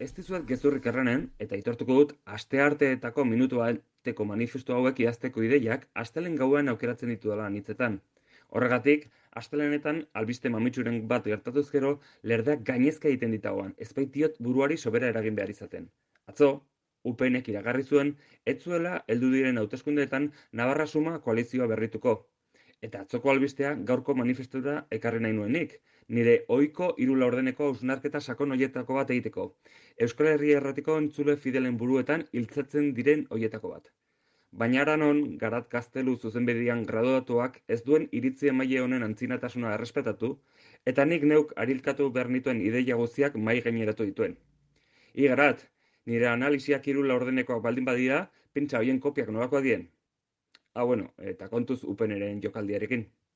Ez dizuet gezurrik erranen, eta aitortuko dut, astearteetako minutu bateko manifestu hauek idazteko ideiak astelehen gauean aukeratzen ditudala anitzetan. Horregatik, astelehenetan albiste mamitsuren bat gertatuz gero, lerdeak gainezka egiten ditagoan, ez baitiot buruari sobera eragin behar izaten. Atzo, UPNek iragarri zuen, ez zuela heldu diren hauteskundeetan Navarra Suma koalizioa berrituko. Eta atzoko albistea gaurko manifestura ekarri nahi nuenik, nire ohiko hiru laurdeneko hausnarketa sakon hoietako bat egiteko. Euskal Herria Erratiko entzule fidelen buruetan hiltzatzen diren hoietako bat. Baina aranon, Garat Gaztelu zuzenbedian graduatuak ez duen iritzi emaile honen antzinatasuna errespetatu, eta nik neuk arilkatu behar nituen ideia guztiak mai gaineratu dituen. Garat, nire analisiak hiru laurdenekoak baldin badira, pentsa hoien kopiak nolakoak dien. Bueno, eta kontuz UPNren jokaldiarekin.